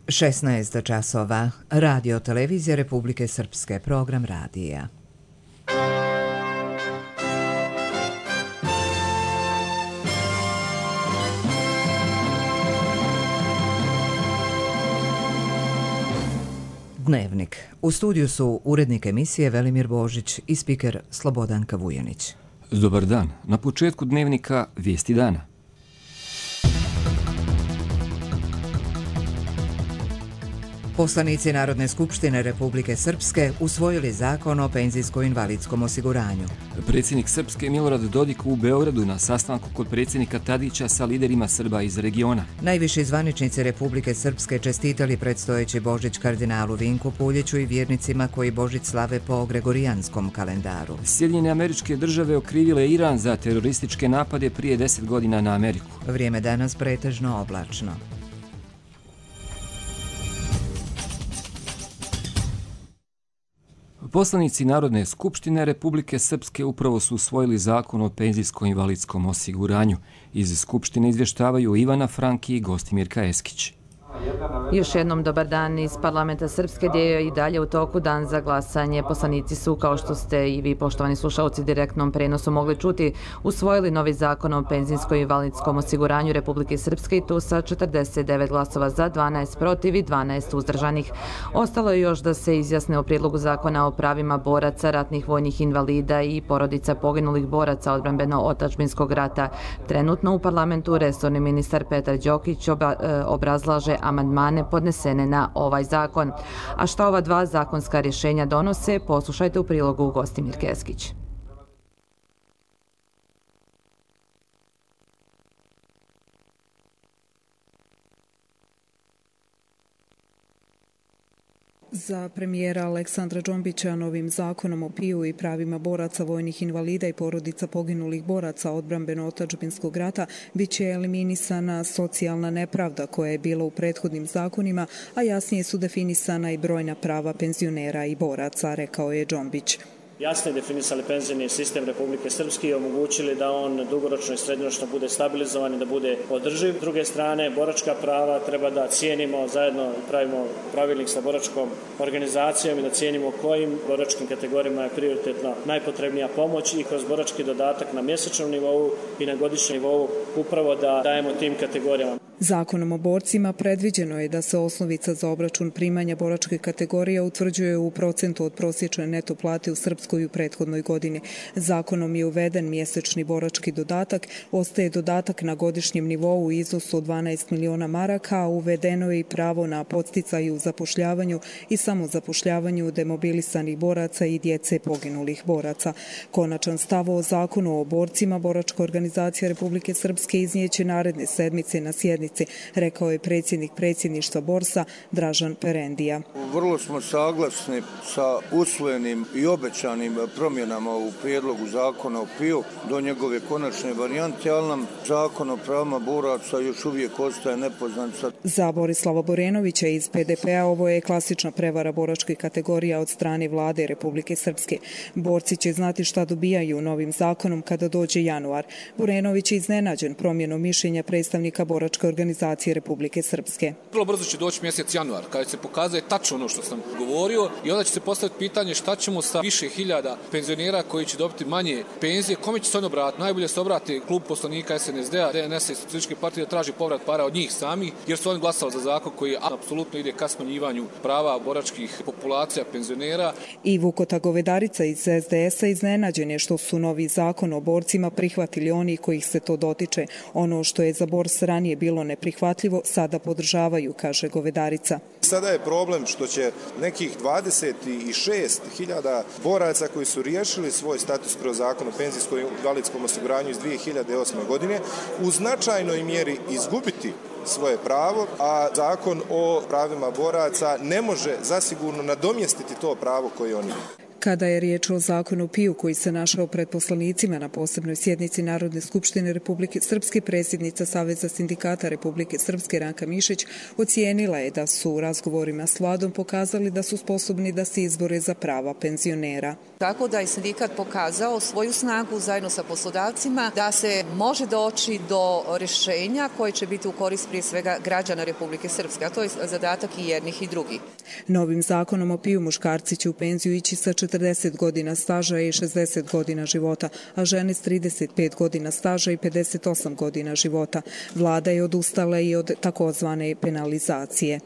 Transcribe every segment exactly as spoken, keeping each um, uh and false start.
šesnaest časova. Radio televizija Republike Srpske, program radija. Dnevnik. U studiju su urednik emisije Velimir Božić i spiker Slobodanka Vujanić. Dobar dan. Na početku dnevnika vijesti dana. Poslanici Narodne skupštine Republike Srpske usvojili zakon o penzijsko-invalidskom osiguranju. Predsjednik Srpske Milorad Dodik u Beogradu na sastanku kod predsjednika Tadića sa liderima Srba iz regiona. Najviši zvaničnici Republike Srpske čestitali predstojeći Božić kardinalu Vinku Puljiću i vjernicima koji Božić slave po gregorijanskom kalendaru. Sjedinjene Američke Države okrivile Iran za terorističke napade prije deset godina na Ameriku. Vrijeme danas pretežno oblačno. Poslanici Narodne skupštine Republike Srpske upravo su usvojili zakon o penzijsko-invalidskom osiguranju. Iz skupštine izvještavaju Ivana Franki i Gostimirka Eskić. Još jednom dobar dan iz parlamenta Srpske, gdje je i dalje u toku dan za glasanje. Poslanici su, kao što ste i vi, poštovani slušalci, direktnom prenosu mogli čuti, usvojili novi zakon o penzijsko-invalidskom osiguranju Republike Srpske i to sa četrdeset devet glasova za, dvanaest protiv i dvanaest uzdržanih. Ostalo je još da se izjasne o prijedlogu zakona o pravima boraca, ratnih vojnih invalida i porodica poginulih boraca odbrambeno-otadžbinskog rata. Trenutno u parlamentu resorni ministar Petar Đokić obrazlaže amandmane podnesene na ovaj zakon. A šta ova dva zakonska rješenja donose, poslušajte u prilogu Gostimirke Eskić. Za premijera Aleksandra Džombića novim zakonom o P I U i pravima boraca, vojnih invalida i porodica poginulih boraca odbrambeno-otadžbinskog rata bit će eliminisana socijalna nepravda koja je bila u prethodnim zakonima, a jasnije su definisana i brojna prava penzionera i boraca, rekao je Džombić. Jasno je definisali penzijni sistem Republike Srpske i omogućili da on dugoročno i srednjoročno bude stabilizovan i da bude održiv. S druge strane, boračka prava treba da cijenimo, zajedno pravimo pravilnik sa boračkom organizacijom i da cijenimo kojim boračkim kategorijama je prioritetno najpotrebnija pomoć i kroz borački dodatak na mjesečnom nivou i na godišnjem nivou upravo da dajemo tim kategorijama. Zakonom o borcima predviđeno je da se osnovica za obračun primanja boračke kategorije utvrđuje u procentu od prosječne neto plate u Srpskoj u prethodnoj godini. Zakonom je uveden mjesečni borački dodatak, ostaje dodatak na godišnjem nivou u iznosu od dvanaest miliona maraka, a uvedeno je i pravo na podsticaj u zapošljavanju i samozapošljavanju demobilisanih boraca i djece poginulih boraca. Konačan stav o zakonu o borcima boračka organizacija Republike Srpske iznijeće naredne sedmice na sjednici, rekao je predsjednik predsjedništva Borsa Dražan Perendija. Vrlo smo saglasni sa usvojenim i obećanim promjenama u prijedlogu zakona o P I U do njegove konačne varijante, ali nam zakon o pravima boraca još uvijek ostaje nepoznanica. Za Borislava Borenovića iz P D P-a ovo je klasična prevara boračkih kategorija od strane vlade Republike Srpske. Borci će znati šta dobijaju novim zakonom kada dođe januar. Borenović je iznenađen promjenom mišljenja predstavnika boračke organizacije Republike Srpske. Vrlo brzo će doći mjesec januar, kada se pokazuje tačno ono što sam govorio i onda će se postaviti pitanje šta ćemo sa više hiljada penzionera koji će dobiti manje penzije, kome će se on obratiti? Najbolje se obrati klub poslanika S N S D-a, D N S-a i Socijalističke partije da traži povrat para od njih samih, jer su oni glasali za zakon koji apsolutno ide ka smanjivanju prava boračkih populacija penzionera. I Vukota Govedarica iz S D S-a iznenađen je što su novi zakon o borcima prihvatili oni kojih se to dotiče. Ono što je za Bors ranije bilo neprihvatljivo, sada podržavaju, kaže Govedarica. Sada je problem što će nekih dvadeset šest hiljada boraca koji su riješili svoj status kroz zakon o penzijsko-invalidskom osiguranju iz dvije hiljade osme godine u značajnoj mjeri izgubiti svoje pravo, a zakon o pravima boraca ne može zasigurno nadomjestiti to pravo koje oni imaju. Kada je riječ o zakonu P I U koji se našao pred poslanicima na posebnoj sjednici Narodne skupštine Republike Srpske, predsjednica Saveza sindikata Republike Srpske Ranka Mišić ocijenila je da su u razgovorima s vladom pokazali da su sposobni da se izbore za prava penzionera. Tako da je sindikat pokazao svoju snagu zajedno sa poslodavcima da se može doći do rješenja koje će biti u korist prije svega građana Republike Srpske, a to je zadatak i jednih i drugih. Novim zakonom o P I U muškarci će u penziju ići sa četrdeset godina staža i šezdeset godina života, a žene s trideset pet godina staža i pedeset osam godina života. Vlada je odustala i od takozvane penalizacije.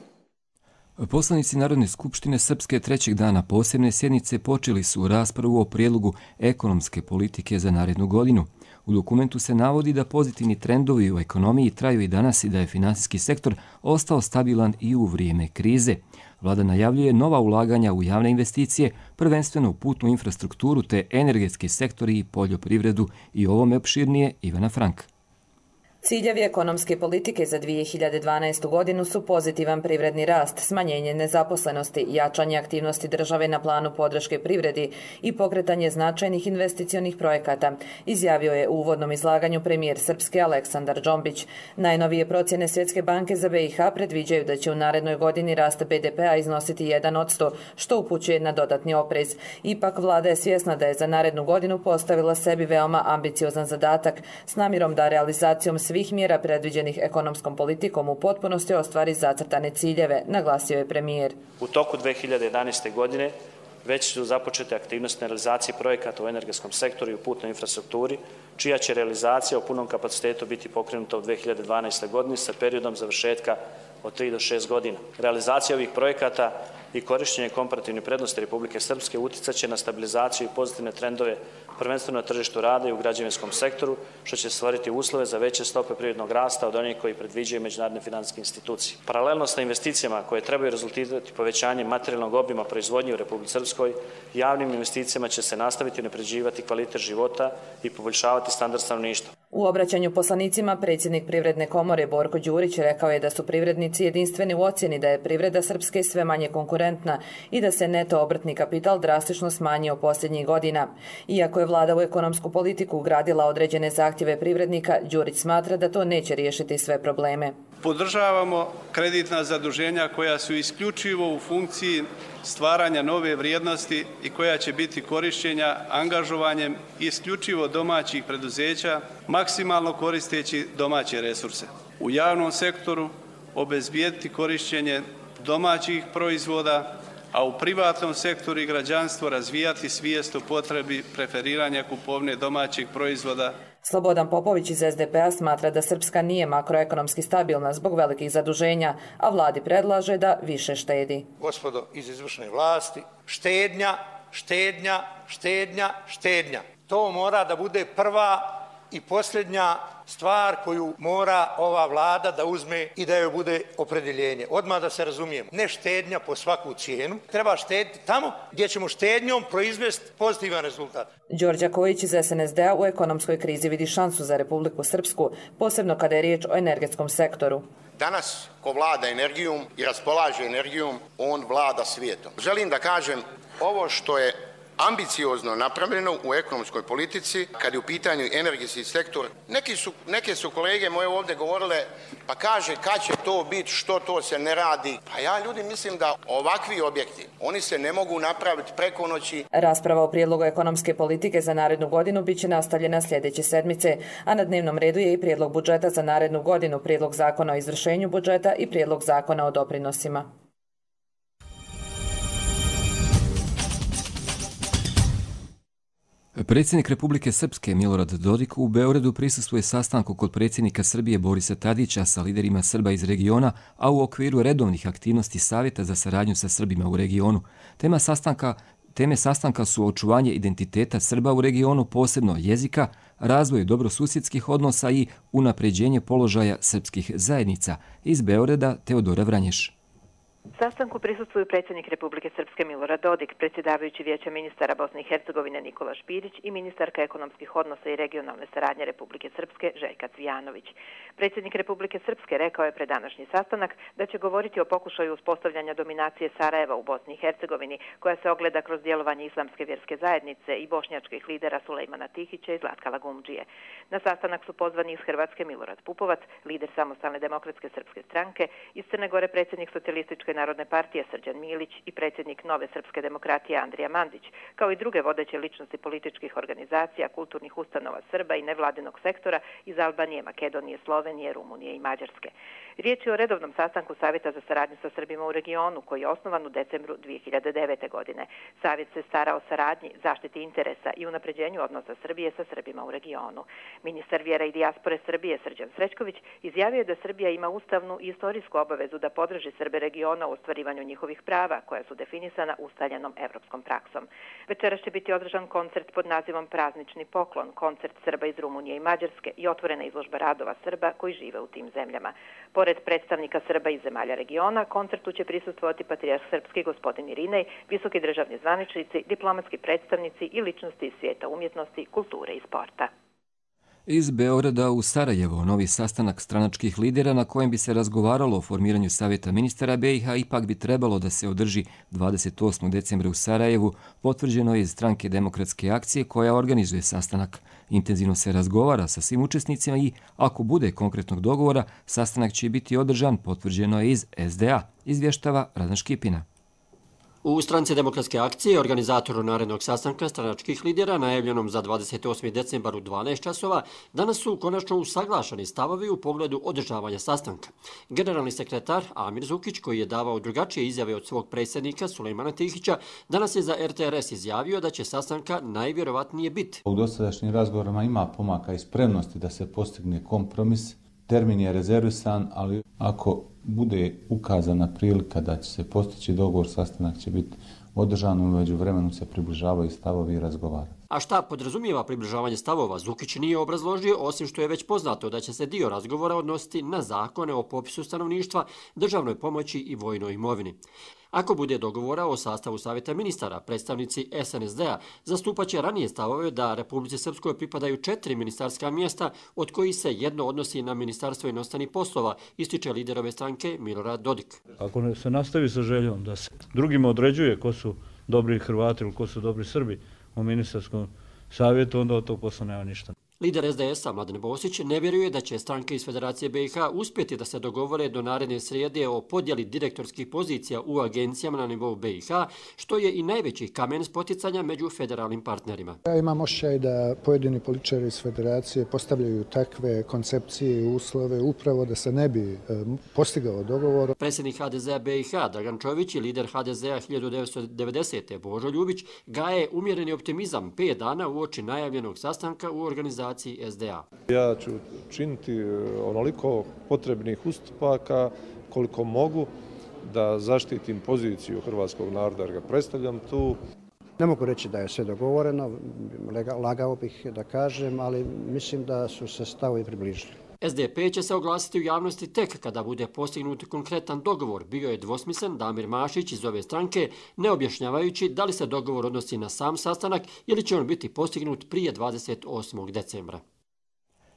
Poslanici Narodne skupštine Srpske trećeg dana posebne sjednice počeli su raspravu o prijedlogu ekonomske politike za narednu godinu. U dokumentu se navodi da pozitivni trendovi u ekonomiji traju i danas i da je finansijski sektor ostao stabilan i u vrijeme krize. Vlada najavljuje nova ulaganja u javne investicije, prvenstveno u putnu infrastrukturu te energetski sektori i poljoprivredu, i ovome opširnije Ivana Frank. Ciljevi ekonomske politike za dvije hiljade dvanaestu godinu su pozitivan privredni rast, smanjenje nezaposlenosti, jačanje aktivnosti države na planu podrške privredi i pokretanje značajnih investicionih projekata, izjavio je u uvodnom izlaganju premijer Srpske Aleksandar Džombić. Najnovije procjene Svjetske banke za B i H predviđaju da će u narednoj godini rast B D P-a iznositi jedan posto, što upućuje na dodatni oprez. Ipak vlada je svjesna da je za narednu godinu postavila sebi veoma ambiciozan zadatak s namjerom da realizacijom svih mjera predviđenih ekonomskom politikom u potpunosti ostvari zacrtane ciljeve, naglasio je premijer. U toku dvije hiljade jedanaeste. godine već su započete aktivnosti na realizaciji projekata u energetskom sektoru i u putnoj infrastrukturi, čija će realizacija u punom kapacitetu biti pokrenuta u dvije hiljade dvanaestoj. godini sa periodom završetka od tri do šest godina. Realizacija ovih projekata i korištenje komparativne prednosti Republike Srpske uticat će na stabilizaciju i pozitivne trendove prvenstveno na tržištu rada i u građevinskom sektoru, što će stvoriti uslove za veće stope privrednog rasta od onih koji predviđaju međunarodne finansijske institucije. Paralelno sa investicijama koje trebaju rezultirati povećanjem materijalnog obima proizvodnje u Republici Srpskoj, javnim investicijama će se nastaviti unapređivati kvalitet života i poboljšavati standard stanovništva. U obraćanju poslanicima predsjednik Privredne komore Borko Đurić rekao je da su privrednici jedinstveni u ocjeni da je privreda Srpske sve manje konkurentna i da se neto obrtni kapital drastično smanjio posljednjih godina. Iako je vlada u ekonomsku politiku ugradila određene zahtjeve privrednika, Đurić smatra da to neće riješiti sve probleme. Podržavamo kreditna zaduženja koja su isključivo u funkciji stvaranja nove vrijednosti i koja će biti korišćenja angažovanjem isključivo domaćih preduzeća, maksimalno koristeći domaće resurse. U javnom sektoru obezbijediti korišćenje domaćih proizvoda, a u privatnom sektoru i građanstvu razvijati svijest o potrebi preferiranja kupovne domaćih proizvoda. Slobodan Popović iz S D P-a smatra da Srpska nije makroekonomski stabilna zbog velikih zaduženja, a vladi predlaže da više štedi. Gospodo iz izvršne vlasti, štednja, štednja, štednja, štednja. To mora da bude prva i posljednja stvar koju mora ova vlada da uzme i da joj bude opredjeljenje. Odmah da se razumijemo, ne štednja po svaku cijenu, treba štediti tamo gdje ćemo štednjom proizvesti pozitivan rezultat. Đorđe Kojić iz S N S D-a u ekonomskoj krizi vidi šansu za Republiku Srpsku, posebno kada je riječ o energetskom sektoru. Danas, ko vlada energijom i raspolaže energijom, on vlada svijetom. Želim da kažem, ovo što je ambiciozno napravljeno u ekonomskoj politici, kad je u pitanju energetski sektor. Neki su, neke su kolege moje ovdje govorile, pa kaže kad će to biti, što to se ne radi. Pa ja ljudi mislim da ovakvi objekti, oni se ne mogu napraviti preko noći. Rasprava o prijedlogu ekonomske politike za narednu godinu bit će nastavljena sljedeće sedmice, a na dnevnom redu je i prijedlog budžeta za narednu godinu, prijedlog zakona o izvršenju budžeta i prijedlog zakona o doprinosima. Predsjednik Republike Srpske Milorad Dodik u Beogradu prisustvuje sastanku kod predsjednika Srbije Borisa Tadića sa liderima Srba iz regiona, a u okviru redovnih aktivnosti Savjeta za saradnju sa Srbima u regionu. Tema sastanka, teme sastanka su očuvanje identiteta Srba u regionu, posebno jezika, razvoj dobrosusjedskih odnosa i unapređenje položaja srpskih zajednica. Iz Beograda Teodora Vranješ. Sastanku prisustvuju predsjednik Republike Srpske Milorad Dodik, predsjedavajući Vijeća ministara Bosne i Hercegovine Nikola Špirić i ministarka ekonomskih odnosa i regionalne saradnje Republike Srpske Željka Cvijanović. Predsjednik Republike Srpske rekao je pred današnji sastanak da će govoriti o pokušaju uspostavljanja dominacije Sarajeva u Bosni i Hercegovini, koja se ogleda kroz djelovanje Islamske vjerske zajednice i bošnjačkih lidera Sulejmana Tihića i Zlatka Lagumdžije. Na sastanak su pozvani iz Hrvatske Milorad Pupovac, lider Samostalne demokratske srpske stranke, iz Crne Gore predsjednik Socijalističke narodne partije Srđan Milić i predsjednik Nove srpske demokratije Andrija Mandić, kao i druge vodeće ličnosti političkih organizacija, kulturnih ustanova Srba i nevladinog sektora iz Albanije, Makedonije, Slovenije, Rumunije i Mađarske. Riječ je o redovnom sastanku Savjeta za saradnju sa Srbima u regionu, koji je osnovan u decembru dvije hiljade devete. godine. Savjet se stara o saradnji, zaštiti interesa i unapređenju odnosa Srbije sa Srbima u regionu. Ministar vjera i dijaspore Srbije Srđan Srećković izjavio je da Srbija ima ustavnu i istorijsku obavezu da podrži Srbe regiona u ostvarivanju njihovih prava, koja su definisana ustaljenom evropskom praksom. Večeras će biti održan koncert pod nazivom Praznični poklon, koncert Srba iz Rumunije i Mađarske i otvorena izložba radova Srba koji žive u tim zemljama. Pored predstavnika Srba iz zemalja regiona, koncertu će prisustvovati patrijarh srpski gospodin Irinej, visoki državni zvaničnici, diplomatski predstavnici i ličnosti iz svijeta umjetnosti, kulture i sporta. Iz Beograda u Sarajevo novi sastanak stranačkih lidera na kojem bi se razgovaralo o formiranju Savjeta ministara B i H ipak bi trebalo da se održi dvadeset osmog decembra u Sarajevu, potvrđeno je iz Stranke demokratske akcije koja organizuje sastanak. Intenzivno se razgovara sa svim učesnicima i, ako bude konkretnog dogovora, sastanak će biti održan, potvrđeno je iz S D A, izvještava Radan Škipina. U Stranci demokratske akcije, organizatoru narednog sastanka stranačkih lidera, najavljenom za dvadeset osmi decembar u dvanaest časova, danas su konačno usaglašeni stavovi u pogledu održavanja sastanka. Generalni sekretar Amir Zukić, koji je davao drugačije izjave od svog predsjednika Sulejmana Tihića, danas je za R T R S izjavio da će sastanka najvjerovatnije biti. U dosadašnjim razgovorima ima pomaka i spremnosti da se postigne kompromis. Termin je rezervisan, ali ako bude ukazana prilika da će se postići dogovor, sastanak će biti održan, u međuvremenu se približavaju stavovi i razgovarati. A šta podrazumijeva približavanje stavova, Zukić nije obrazložio, osim što je već poznato da će se dio razgovora odnositi na zakone o popisu stanovništva, državnoj pomoći i vojnoj imovini. Ako bude dogovora o sastavu Savjeta ministara, predstavnici S N S D-a zastupaće ranije stavove da Republici Srpskoj pripadaju četiri ministarska mjesta, od kojih se jedno odnosi na Ministarstvo inostranih poslova, ističe lider ove stranke Milorad Dodik. Ako se nastavi sa željom da se drugima određuje ko su dobri Hrvati ili ko su dobri Srbi u ministarskom savjetu, onda od tog posla nema ništa. Lider S D S-a Mladen Bosić ne vjeruje da će stranke iz Federacije B i H uspjeti da se dogovore do naredne srijede o podjeli direktorskih pozicija u agencijama na nivou B i H, što je i najveći kamen spoticanja među federalnim partnerima. Ja imam osjećaj da pojedini političari iz Federacije postavljaju takve koncepcije i uslove upravo da se ne bi postigao dogovor. Predsjednik H D Z-a B i H Dragan Čović i lider H D Z-a hiljadu devetsto devedesete Božo Ljubić gaje umjereni optimizam pet dana uoči najavljenog sastanka u organizaciji S D A. Ja ću činiti onoliko potrebnih ustupaka koliko mogu da zaštitim poziciju hrvatskog naroda jer ga predstavljam tu. Ne mogu reći da je sve dogovoreno, lagao bih da kažem, ali mislim da su se stavovi približili. S D P će se oglasiti u javnosti tek kada bude postignut konkretan dogovor. Bio je dvosmislen Damir Mašić iz ove stranke, ne objašnjavajući da li se dogovor odnosi na sam sastanak ili će on biti postignut prije dvadeset osmog decembra.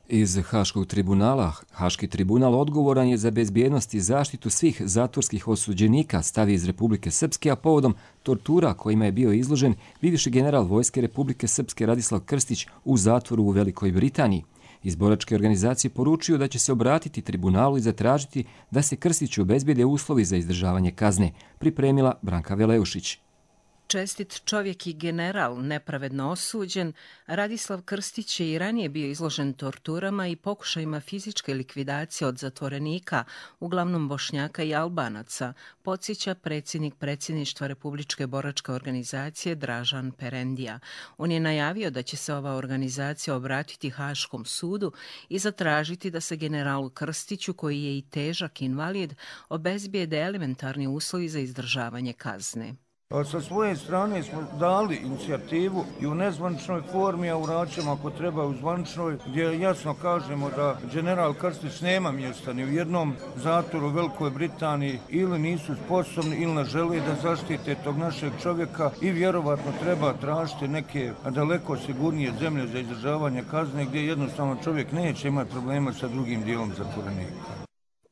Iz Haškog tribunala, Haški tribunal odgovoran je za bezbjednost i zaštitu svih zatvorskih osuđenika, stavi iz Republike Srpske, a povodom tortura kojima je bio izložen bivši general Vojske Republike Srpske Radislav Krstić u zatvoru u Velikoj Britaniji. Iz boračke organizacije poručuju da će se obratiti tribunalu i zatražiti da se Krstiću obezbijede uslovi za izdržavanje kazne, pripremila Branka Veleušić. Čestit čovjek i general, nepravedno osuđen, Radislav Krstić je i ranije bio izložen torturama i pokušajima fizičke likvidacije od zatvorenika, uglavnom Bošnjaka i Albanaca, podsjeća predsjednik predsjedništva Republičke boračke organizacije Dražan Perendija. On je najavio da će se ova organizacija obratiti Haškom sudu i zatražiti da se generalu Krstiću, koji je i težak invalid, obezbijede elementarni uslovi za izdržavanje kazne. A sa svoje strane smo dali inicijativu i u nezvaničnoj formi, a u Račama ako treba u zvaničnoj, gdje jasno kažemo da general Krstić nema mjesta ni u jednom zatvoru u Velikoj Britaniji, ili nisu sposobni ili ne žele da zaštite tog našeg čovjeka i vjerovatno treba tražiti neke daleko sigurnije zemlje za izdržavanje kazne gdje jednostavno čovjek neće imati problema sa drugim dijelom zatvorenika.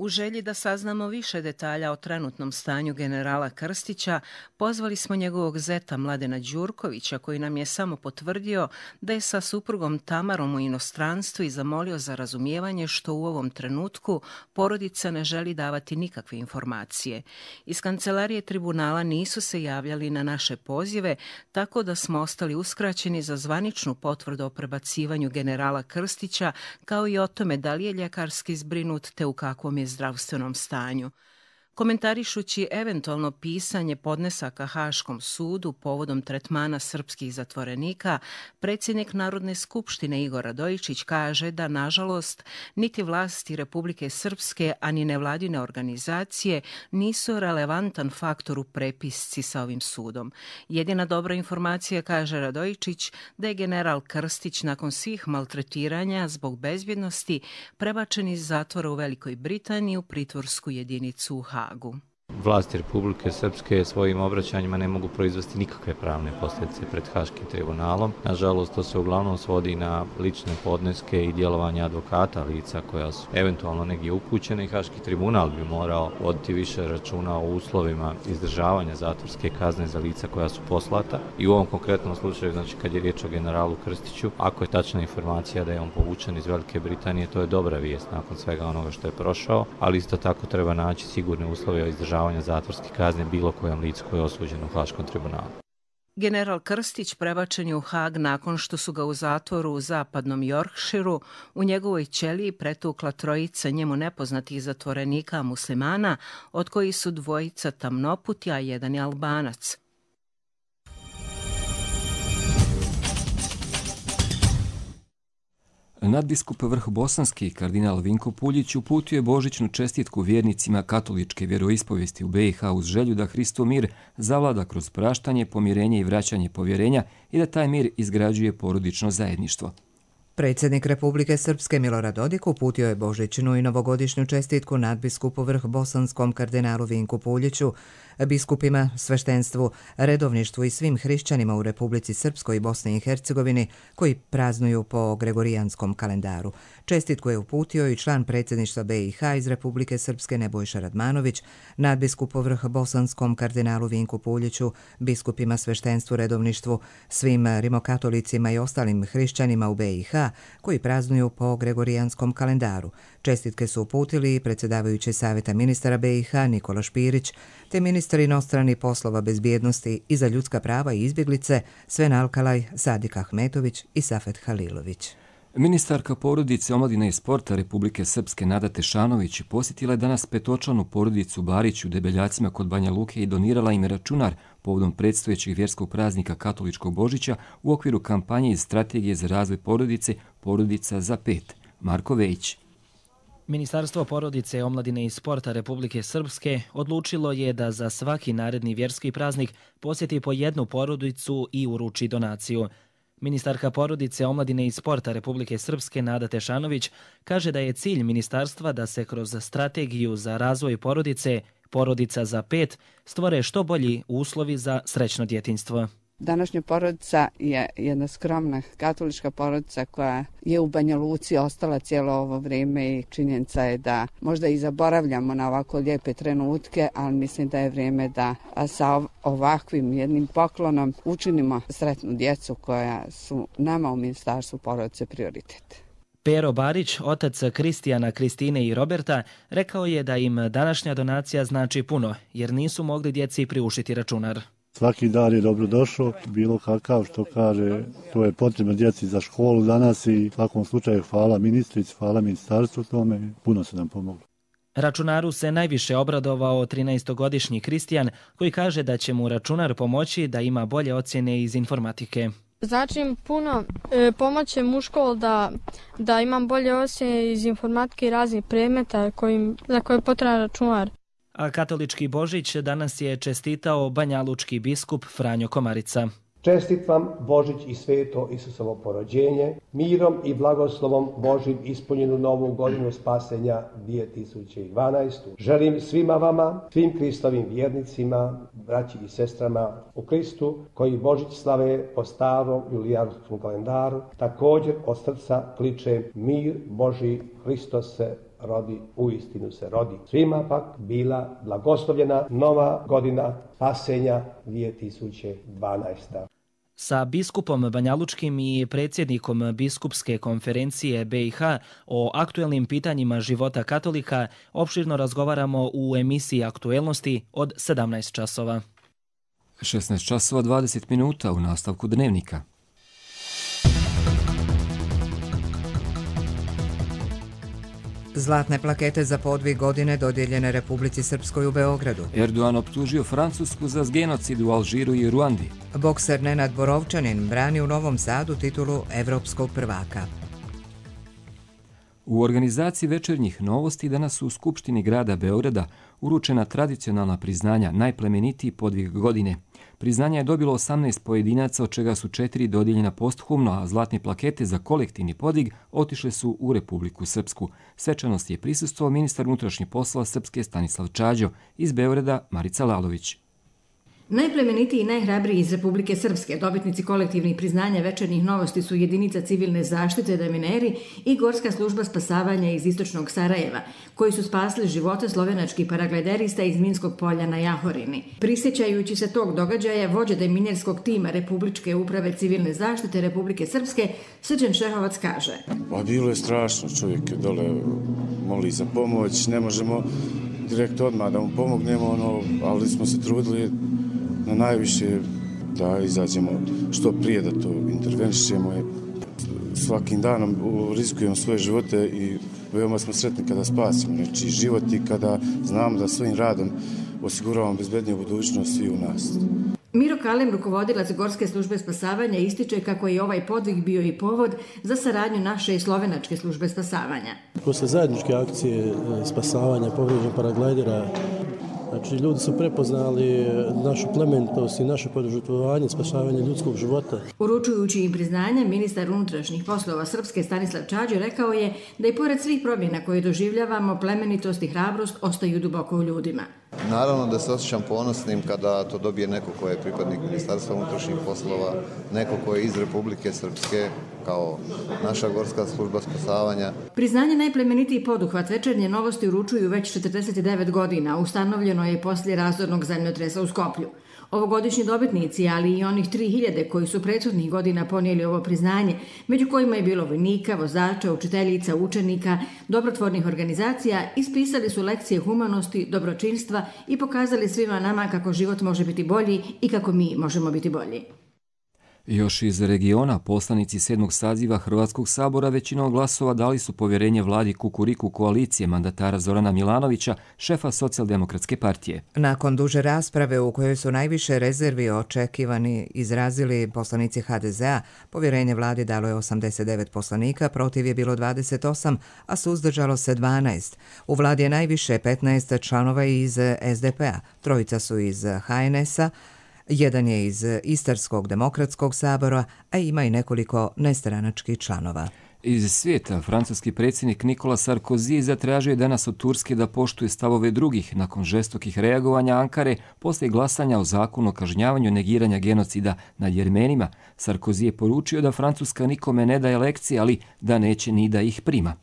U želji da saznamo više detalja o trenutnom stanju generala Krstića, pozvali smo njegovog zeta Mladena Đurkovića, koji nam je samo potvrdio da je sa suprugom Tamarom u inostranstvu i zamolio za razumijevanje što u ovom trenutku porodica ne želi davati nikakve informacije. Iz kancelarije tribunala nisu se javljali na naše pozive, tako da smo ostali uskraćeni za zvaničnu potvrdu o prebacivanju generala Krstića, kao i o tome da li je ljekarski zbrinut te u kakvom je zdravstvenom stanju. Komentarišući eventualno pisanje podnesaka Haškom sudu povodom tretmana srpskih zatvorenika, predsjednik Narodne skupštine Igor Radojičić kaže da, nažalost, niti vlasti Republike Srpske, ani nevladine organizacije nisu relevantan faktor u prepisci sa ovim sudom. Jedina dobra informacija, kaže Radojičić, da je general Krstić nakon svih maltretiranja zbog bezbjednosti prebačen iz zatvora u Velikoj Britaniji u pritvorsku jedinicu u Hagu. Vlasti Republike Srpske svojim obraćanjima ne mogu proizvesti nikakve pravne posljedice pred Haškim tribunalom. Nažalost, to se uglavnom svodi na lične podneske i djelovanje advokata lica koja su eventualno negdje upućene i Haški tribunal bi morao voditi više računa o uslovima izdržavanja zatvorske kazne za lica koja su poslata. I u ovom konkretnom slučaju, znači kad je riječ o generalu Krstiću, ako je tačna informacija da je on povučen iz Velike Britanije, to je dobra vijest nakon svega onoga što je prošao, ali isto tako treba naći sigurne uslove o izdržavanju zatvorske kazne bilo kojem licu koje je osuđeno u Haškom tribunalu. General Krstić prebačen je u Hag nakon što su ga u zatvoru u zapadnom Yorkshireu u njegovoj ćeliji pretukla trojica njemu nepoznatih zatvorenika muslimana, od kojih su dvojica tamnoputi, a jedan je Albanac. Nadbiskup Vrhbosanski kardinal Vinko Puljić uputio je božićnu čestitku vjernicima katoličke vjeroispovijesti u B i H uz želju da Hristov mir zavlada kroz praštanje, pomirenje i vraćanje povjerenja i da taj mir izgrađuje porodično zajedništvo. Predsjednik Republike Srpske Milorad Dodik uputio je božićnu i novogodišnju čestitku nadbiskupu Vrhbosanskom kardinalu Vinku Puljiću, biskupima, sveštenstvu, redovništvu i svim hrišćanima u Republici Srpskoj i Bosni i Hercegovini koji praznuju po gregorijanskom kalendaru. Čestitku je uputio i član predsjedništva B i H iz Republike Srpske Nebojša Radmanović, nadbiskupu Vrhbosanskom kardinalu Vinku Puljiću, biskupima, sveštenstvu, redovništvu, svim rimokatolicima i ostalim hrišćanima u B i H koji praznuju po gregorijanskom kalendaru. Čestitke su uputili i predsjedavajući Savjeta ministara B i H Nikola Špirić, te ministar inostranih poslova, bezbjednosti i za ljudska prava i izbjeglice Sven Alkalaj, Sadik Ahmetović i Safet Halilović. Ministarka porodice, omladine i sporta Republike Srpske Nada Tešanović posjetila je danas petočlanu porodicu Barić u Debeljacima kod Banja Luke i donirala im računar povodom predstojećeg vjerskog praznika katoličkog Božića u okviru kampanje iz strategije za razvoj porodice Porodica za pet. Marko Vejić. Ministarstvo porodice, omladine i sporta Republike Srpske odlučilo je da za svaki naredni vjerski praznik posjeti po jednu porodicu i uruči donaciju. Ministarka porodice, omladine i sporta Republike Srpske Nada Tešanović kaže da je cilj ministarstva da se kroz strategiju za razvoj porodice Porodica za pet stvore što bolji uslovi za srećno djetinjstvo. Današnja porodica je jedna skromna katolička porodica koja je u Banja Luci ostala cijelo ovo vrijeme i činjenica je da možda i zaboravljamo na ovako lijepe trenutke, ali mislim da je vrijeme da sa ovakvim jednim poklonom učinimo sretnu djecu koja su nama u Ministarstvu porodice prioritet. Pero Barić, otac Kristijana, Kristine i Roberta, rekao je da im današnja donacija znači puno, jer nisu mogli djeci priuštiti računar. Svaki dar je dobro došao, bilo kakav što kaže, to je potrebno djeci za školu danas i u svakom slučaju hvala ministrici, hvala ministarstvu tome, puno se nam pomoglo. Računaru se najviše obradovao trinaestogodišnji Kristijan koji kaže da će mu računar pomoći da ima bolje ocjene iz informatike. Znači im puno, e, pomoće mu u školu da, da imam bolje ocjene iz informatike i raznih predmeta kojim, za koje je potreban računar. A katolički Božić danas je čestitao banjalučki biskup Franjo Komarica. Čestit vam Božić i sveto Isusovo porođenje, mirom i blagoslovom Božim ispunjenu novu godinu spasenja dvije tisuće dvanaeste. Želim svima vama, svim Kristovim vjernicima, braći i sestrama u Kristu, koji Božić slave po starom julijanskom kalendaru, također od srca kličem mir Boži, Hristos se rodi, uistinu se rodi. Svima pak bila blagoslovljena nova godina spasenja dvije tisuće dvanaeste. Sa biskupom banjalučkim i predsjednikom biskupske konferencije B i H o aktuelnim pitanjima života katolika opširno razgovaramo u emisiji Aktuelnosti od sedamnaest časova. šesnaest časova dvadeset minuta u nastavku dnevnika. Zlatne plakete za podvig godine dodijeljene Republici Srpskoj u Beogradu. Erdogan optužio Francusku za genocid u Alžiru i Ruandi. Bokser Nenad Borovčanin brani u Novom Sadu titulu evropskog prvaka. U organizaciji večernjih novosti danas su u Skupštini grada Beograda uručena tradicionalna priznanja najplemenitiji podvig godine. Priznanja je dobilo osamnaest pojedinaca, od čega su četiri dodijeljena posthumno, a zlatne plakete za kolektivni podvig otišle su u Republiku Srpsku. Svečanosti je prisustvovao ministar unutrašnjih poslova Srpske Stanislav Čađo, iz Beograda Marica Lalović. Najplemenitiji i najhrabriji iz Republike Srpske dobitnici kolektivnih priznanja večernjih novosti su jedinica civilne zaštite Demineri i Gorska služba spasavanja iz istočnog Sarajeva, koji su spasili živote slovenačkih paraglajderista iz Minskog polja na Jahorini. Prisjećajući se tog događaja, vođa deminjerskog tima Republičke uprave civilne zaštite Republike Srpske, Srđan Šehovac kaže: Pa bilo je strašno, čovjek je dole moli za pomoć, ne možemo direkt odmah da mu pomognemo, ono, ali smo se trudili na najviše da izađemo što prije, da to intervenišemo. Svakim danom rizikujemo svoje živote i veoma smo sretni kada spasimo nečiji život i kada znamo da svojim radom osiguravamo bezbedniju budućnost svi u nas. Miro Kalem, rukovodilac Gorske službe spasavanja, ističe kako je ovaj podvig bio i povod za saradnju naše i slovenačke službe spasavanja. Posle zajedničke akcije spasavanja povrijeđenog paraglajdera, znači ljudi su prepoznali našu plemenitost i naše požrtvovanje, spašavanje ljudskog života. Uručujući im priznanje, ministar unutrašnjih poslova Srpske Stanislav Čađo rekao je da i pored svih promjena koje doživljavamo, plemenitost i hrabrost ostaju duboko u ljudima. Naravno da se osjećam ponosnim kada to dobije neko ko je pripadnik Ministarstva unutrašnjih poslova, neko ko je iz Republike Srpske, kao naša Gorska služba spasavanja. Priznanje najplemenitiji poduhvat večernje novosti uručuju već četrdeset devet godina, ustanovljeno je poslije razornog zemljotresa u Skoplju. Ovogodišnji dobitnici, ali i onih tri hiljade koji su prethodnih godina ponijeli ovo priznanje, među kojima je bilo vojnika, vozača, učiteljica, učenika, dobrotvornih organizacija, ispisali su lekcije humanosti, dobročinstva i pokazali svima nama kako život može biti bolji i kako mi možemo biti bolji. Još iz regiona, poslanici sedmog saziva Hrvatskog sabora većinom glasova dali su povjerenje vladi Kukuriku koalicije mandatara Zorana Milanovića, šefa Socijaldemokratske partije. Nakon duže rasprave u kojoj su najviše rezervi očekivani izrazili poslanici ha de zea, povjerenje vladi dalo je osamdeset devet poslanika, protiv je bilo dvadeset osam, a suzdržalo se dvanaest. U vladi je najviše petnaest članova iz es de pe a, trojica su iz ha en es a, jedan je iz Istarskog demokratskog sabora, a ima i nekoliko nestranačkih članova. Iz svijeta, francuski predsjednik Nikola Sarkozy zatražio je danas od Turske da poštuje stavove drugih nakon žestokih reagovanja Ankare poslije glasanja o zakonu o kažnjavanju negiranja genocida nad Jermenima. Sarkozy je poručio da Francuska nikome ne daje lekcije, ali da neće ni da ih prima.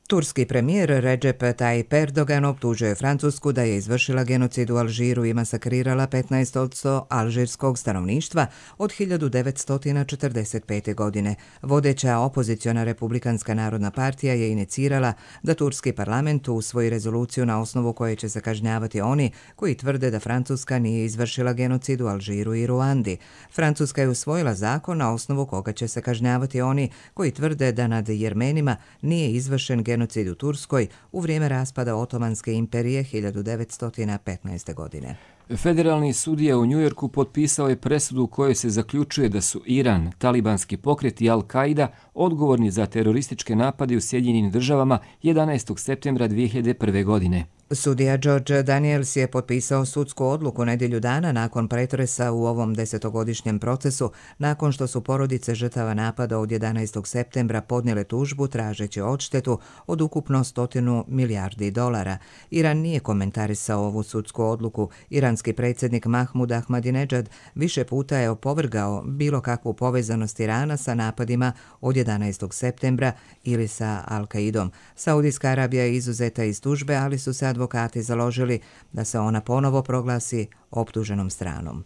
Turski premijer Recep Tayyip Erdogan optužio je Francusku da je izvršila genocid u Alžiru i masakrirala petnaest posto alžirskog stanovništva od hiljadu devetsto četrdeset pete. godine. Vodeća opoziciona Republikanska narodna partija je inicirala da turski parlament usvoji rezoluciju na osnovu koje će se kažnjavati oni koji tvrde da Francuska nije izvršila genocid u Alžiru i Ruandi. Francuska je usvojila zakon na osnovu koga će se kažnjavati oni koji tvrde da nad Jermenima nije izvršen genocid genocid u Turskoj u vrijeme raspada Otomanske imperije hiljadu devetsto petnaeste. godine. Federalni sudija u Njujorku potpisao je presudu u kojoj se zaključuje da su Iran, talibanski pokret i Al-Qaida odgovorni za terorističke napade u Sjedinjenim državama jedanaestog septembra dvije hiljade prve. godine. Sudija George Daniels je potpisao sudsku odluku nedjelju dana nakon pretresa u ovom desetogodišnjem procesu, nakon što su porodice žrtava napada od jedanaestog septembra podnijele tužbu tražeći odštetu od ukupno stotinu milijardi dolara. Iran nije komentarisao ovu sudsku odluku. Iranski predsjednik Mahmud Ahmadinejad više puta je opovrgao bilo kakvu povezanost Irana sa napadima od jedanaestog septembra ili sa Al-Qaidom. Saudijska Arabija je izuzeta iz tužbe, ali su se advokati založili da se ona ponovo proglasi optuženom stranom.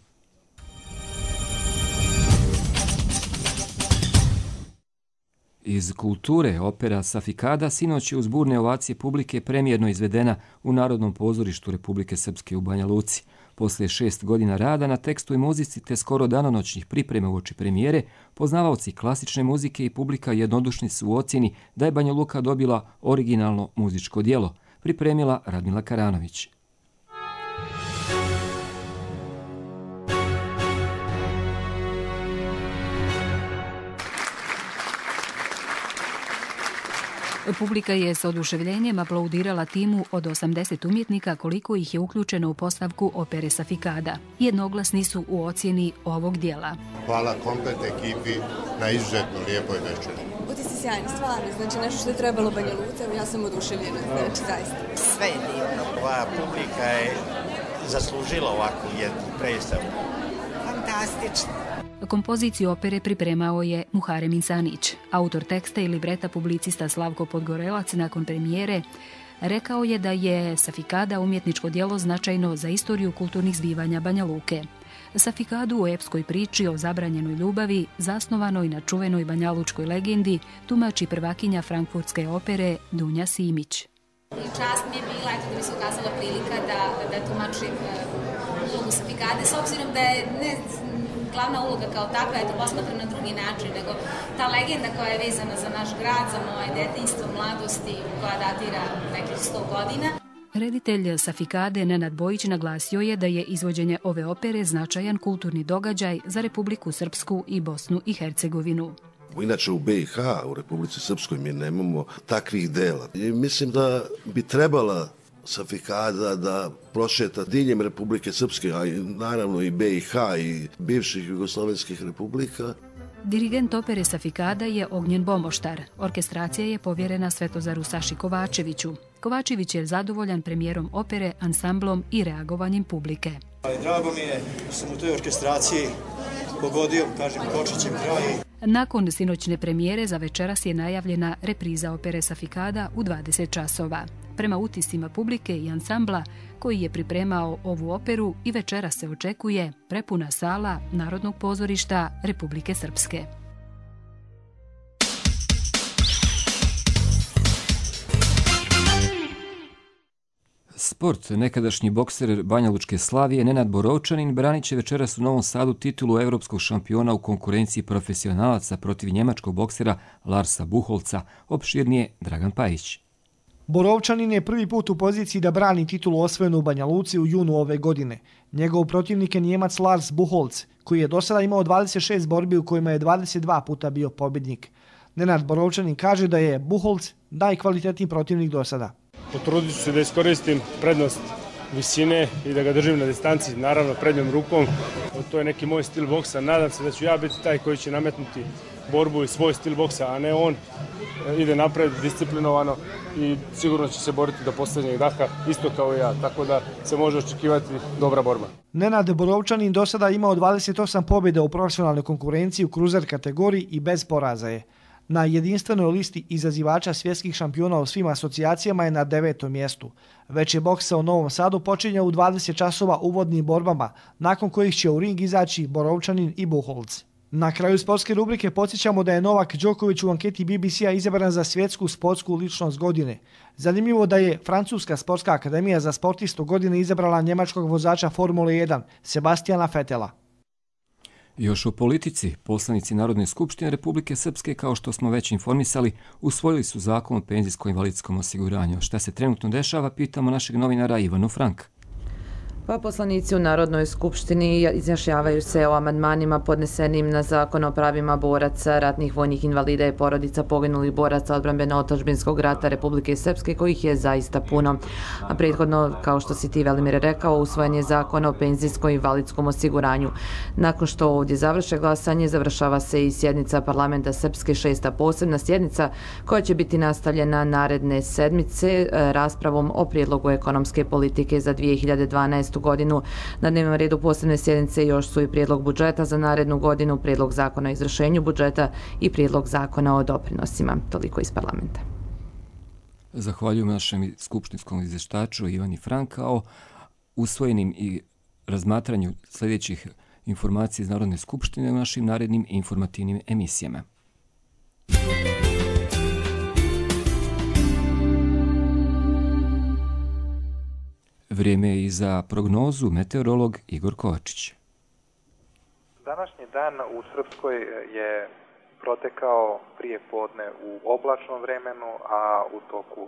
Iz kulture opera Safikada sinoć je uz burne ovacije publike premijerno izvedena u Narodnom pozorištu Republike Srpske u Banja Luci. Poslije šest godina rada na tekstu i muzici te skoro danonoćnih priprema uoči premijere, poznavaoci klasične muzike i publika jednodušni su u ocjeni da je Banja Luka dobila originalno muzičko djelo, pripremila Radmila Karanović. Publika je s oduševljenjem aplaudirala timu od osamdeset umjetnika koliko ih je uključeno u postavku opere Safikada. Jednoglasni su u ocjeni ovog dijela. Hvala komplet ekipi na izuzetno lijepoj večeri. Utisci sjajni, stvarno, znači nešto što je trebalo Banja Luci, ja sam oduševljena, znači zaista. Sve je divno. Ova publika je zaslužila ovakvu jednu predstavu. Fantastično. Kompoziciju opere pripremao je Muharem Insanić. Autor teksta i libreta publicista Slavko Podgorelac nakon premijere rekao je da je Safikada umjetničko djelo značajno za istoriju kulturnih zbivanja Banja Luke. Safikadu u epskoj priči o zabranjenoj ljubavi, zasnovanoj na čuvenoj banjalučkoj legendi, tumači prvakinja frankfurtske opere Dunja Simić. Čast mi je bila eto, da mi se ukazala prilika da, da tumačim ulogu Safikade, s obzirom da je ne glavna uloga kao takva, eto, posmatram na drugi način, nego ta legenda koja je vezana za naš grad, za moje detinjstvo, mladosti, koja datira nekih sto godina. Reditelj Safikade Nenad Bojić naglasio je da je izvođenje ove opere značajan kulturni događaj za Republiku Srpsku i Bosnu i Hercegovinu. Inače u be i ha, u Republici Srpskoj, mi nemamo takvih dela. I mislim da bi trebala Safikada da prošeta diljem Republike Srpske, a naravno i be i ha i bivših jugoslovenskih republika. Dirigent opere Safikada je Ognjen Bomoštar. Orkestracija je povjerena Svetozaru Saši Kovačeviću. Kovačević je zadovoljan premijerom opere, ansamblom i reagovanjem publike. Drago mi je da sam u toj orkestraciji pogodio, kažem, kočićem kraj. Nakon sinoćne premijere za večeras je najavljena repriza opere Safikada u dvadeset časova. Prema utiscima publike i ansambla koji je pripremao ovu operu i večeras se očekuje prepuna sala Narodnog pozorišta Republike Srpske. Sport. Nekadašnji bokser Banjalučke Slavije Nenad Borovčanin branit će večeras u Novom Sadu titulu evropskog šampiona u konkurenciji profesionalaca protiv njemačkog boksera Larsa Buholca, opširnije Dragan Pajić. Borovčanin je prvi put u poziciji da brani titulu osvojenu u Banja Luci u junu ove godine. Njegov protivnik je Njemac Lars Buholc, koji je do sada imao dvadeset šest borbi u kojima je dvadeset dva puta bio pobjednik. Nenad Borovčanin kaže da je Buholc najkvalitetniji protivnik do sada. Potrudit ću se da iskoristim prednost visine i da ga držim na distanci, naravno prednjom rukom. To je neki moj stil boksa. Nadam se da ću ja biti taj koji će nametnuti borbu i svoj stil boksa, a ne on. Ide napred disciplinovano i sigurno će se boriti do posljednjeg daha, isto kao i ja, tako da se može očekivati dobra borba. Nenad Borovčanin do sada imao dvadeset osam pobjeda u profesionalnoj konkurenciji u kruzer kategoriji i bez poraza je. Na jedinstvenoj listi izazivača svjetskih šampiona u svim asocijacijama je na devetom mjestu. Već je boksa u Novom Sadu počinjao u dvadeset časova uvodnim borbama, nakon kojih će u ring izaći Borovčanin i Buholc. Na kraju sportske rubrike podsjećamo da je Novak Đoković u anketi be be ce-a izabran za svjetsku sportsku ličnost godine. Zanimljivo da je Francuska sportska akademija za sportistu godine izabrala njemačkog vozača Formule jedan, Sebastijana Fetela. Još o politici, poslanici Narodne skupštine Republike Srpske, kao što smo već informisali, usvojili su zakon o penzijsko-invalidskom osiguranju. Šta se trenutno dešava, pitamo našeg novinara Ivanu Franka. Pa poslanici u Narodnoj skupštini izjašnjavaju se o amandmanima podnesenim na Zakon o pravima boraca, ratnih vojnih invalida i porodica poginulih boraca odbrambeno-otadžbinskog rata Republike Srpske, kojih je zaista puno. A prethodno, kao što si ti, Velimir, rekao, usvojen je Zakon o penzijskom i invalidskom osiguranju. Nakon što ovdje završe glasanje, završava se i sjednica parlamenta Srpske, šesta posebna sjednica, koja će biti nastavljena naredne sedmice raspravom o prijedlogu ekonomske politike za dvije hiljade dvanaestu godinu. Na dnevnom redu posebne sjednice još su i prijedlog budžeta za narednu godinu, prijedlog zakona o izvršenju budžeta i prijedlog zakona o doprinosima. Toliko iz parlamenta. Zahvaljujem našem skupštinskom izvještaču Ivani Franka o usvojenim i razmatranju sljedećih informacija iz Narodne skupštine u našim narednim informativnim emisijama. Vrijeme je i za prognozu meteorolog Igor Kovačić. Današnji dan u Srpskoj je protekao prije podne u oblačnom vremenu, a u toku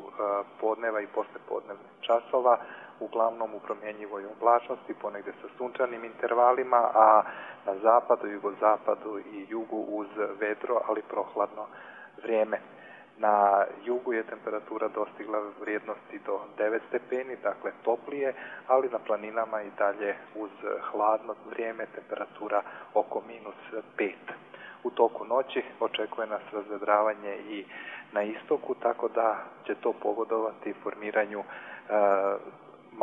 podneva i poslepodnevnih časova uglavnom u promjenjivoj oblačnosti, ponegdje sa sunčanim intervalima, a na zapadu, jugozapadu i jugu uz vedro, ali prohladno vrijeme. Na jugu je temperatura dostigla vrijednosti do devet stepeni, dakle toplije, ali na planinama i dalje uz hladno vrijeme temperatura oko minus pet. U toku noći očekuje nas razvedravanje i na istoku, tako da će to pogodovati formiranju e,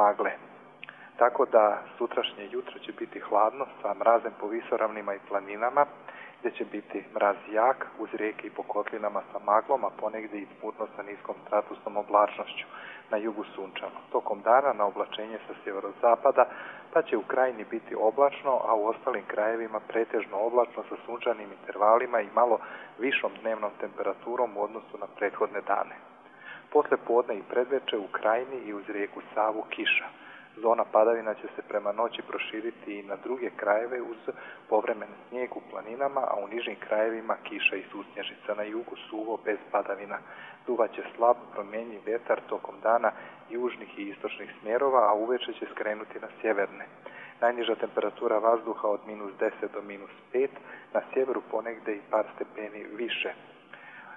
magle. Tako da sutrašnje jutro će biti hladno sa mrazem po visoravnima i planinama, gdje će biti mraz jak uz rijeke i po kotlinama sa maglom, a ponegdje i smutno sa niskom stratusnom oblačnošću. Na jugu sunčano. Tokom dana na oblačenje sa sjeverozapada, pa će u krajini biti oblačno, a u ostalim krajevima pretežno oblačno sa sunčanim intervalima i malo višom dnevnom temperaturom u odnosu na prethodne dane. Posle podne i predveče u krajini i uz rijeku Savu kiša. Zona padavina će se prema noći proširiti i na druge krajeve uz povremen snijeg u planinama, a u nižim krajevima kiša i susnježica. Na jugu suvo bez padavina. Duvaće slab promjenjiv vjetar tokom dana južnih i istočnih smjerova, a uveče će skrenuti na sjeverne. Najniža temperatura vazduha od minus deset do minus pet, na sjeveru ponegdje i par stepeni više.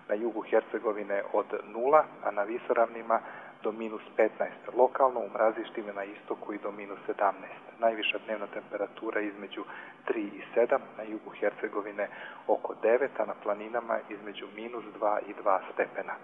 Na jugu Hercegovine od nula, a na visoravnima do minus petnaest, lokalno u mrazištima na istoku i do minus sedamnaest. Najviša dnevna temperatura između tri i sedam, na jugu Hercegovine oko devet, a na planinama između minus dva i dva stepena.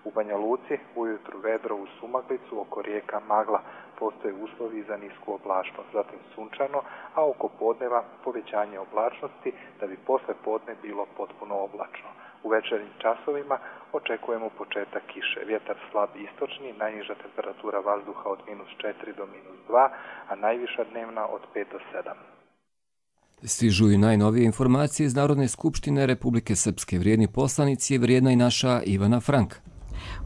U Banja Luci ujutru vedro uz sumaglicu, oko rijeka magla, postoje uslovi za nisku oblačnost, zatim sunčano, a oko podneva povećanje oblačnosti da bi posle podne bilo potpuno oblačno. U večernjim časovima očekujemo početak kiše. Vjetar slab istočni, najniža temperatura vazduha od minus četiri do minus dva, a najviša dnevna od pet do sedam. Stižu i najnovije informacije iz Narodne skupštine Republike Srpske. Vrijedni poslanici je vrijedna i naša Ivana Frank.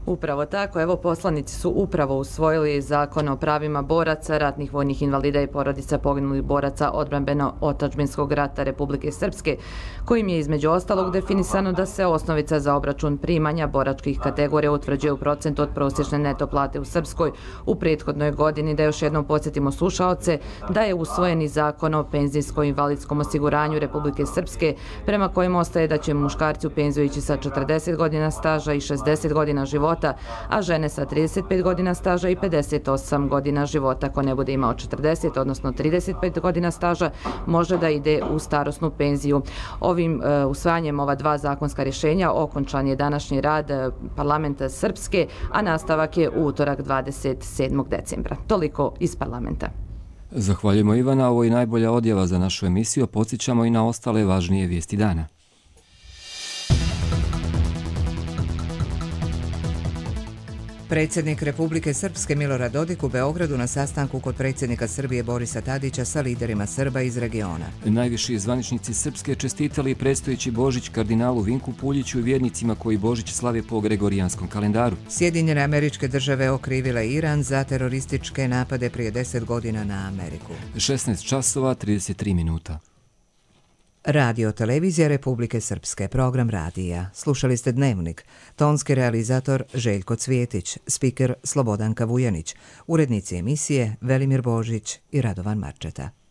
Upravo tako, evo poslanici su upravo usvojili Zakon o pravima boraca, ratnih vojnih invalida i porodica poginulih boraca odbrambeno-otadžbinskog rata Republike Srpske, kojim je između ostalog definisano da se osnovica za obračun primanja boračkih kategorija utvrđuje u procentu od prosječne neto plate u Srpskoj u prethodnoj godini. Da još jednom podsjetimo slušaoce da je usvojeni Zakon o penzijskom i invalidskom osiguranju Republike Srpske, prema kojem ostaje da će muškarci u penziju ići sa četrdeset godina staža i šezdeset godina života, a žene sa trideset pet godina staža i pedeset osam godina života. Ko ne bude imao četrdeset, odnosno trideset pet godina staža, može da ide u starosnu penziju. Ovim uh, usvajanjem ova dva zakonska rješenja okončan je današnji rad uh, parlamenta Srpske, a nastavak je u utorak dvadeset sedmog decembra. Toliko iz parlamenta. Zahvaljujemo Ivana, ovo je najbolja odjava za našu emisiju, podsjećamo i na ostale važnije vijesti dana. Predsjednik Republike Srpske Milorad Dodik u Beogradu na sastanku kod predsjednika Srbije Borisa Tadića sa liderima Srba iz regiona. Najviši zvaničnici Srpske čestitali predstojeći Božić kardinalu Vinku Puljiću i vjernicima koji Božić slave po gregorijanskom kalendaru. Sjedinjene Američke Države okrivile Iran za terorističke napade prije deset godina na Ameriku. šesnaest časova trideset tri minuta. Radio Televizija Republike Srpske, program radija. Slušali ste Dnevnik. Tonski realizator Željko Cvjetić, spiker Slobodanka Vujanić, urednici emisije Velimir Božić i Radovan Marčeta.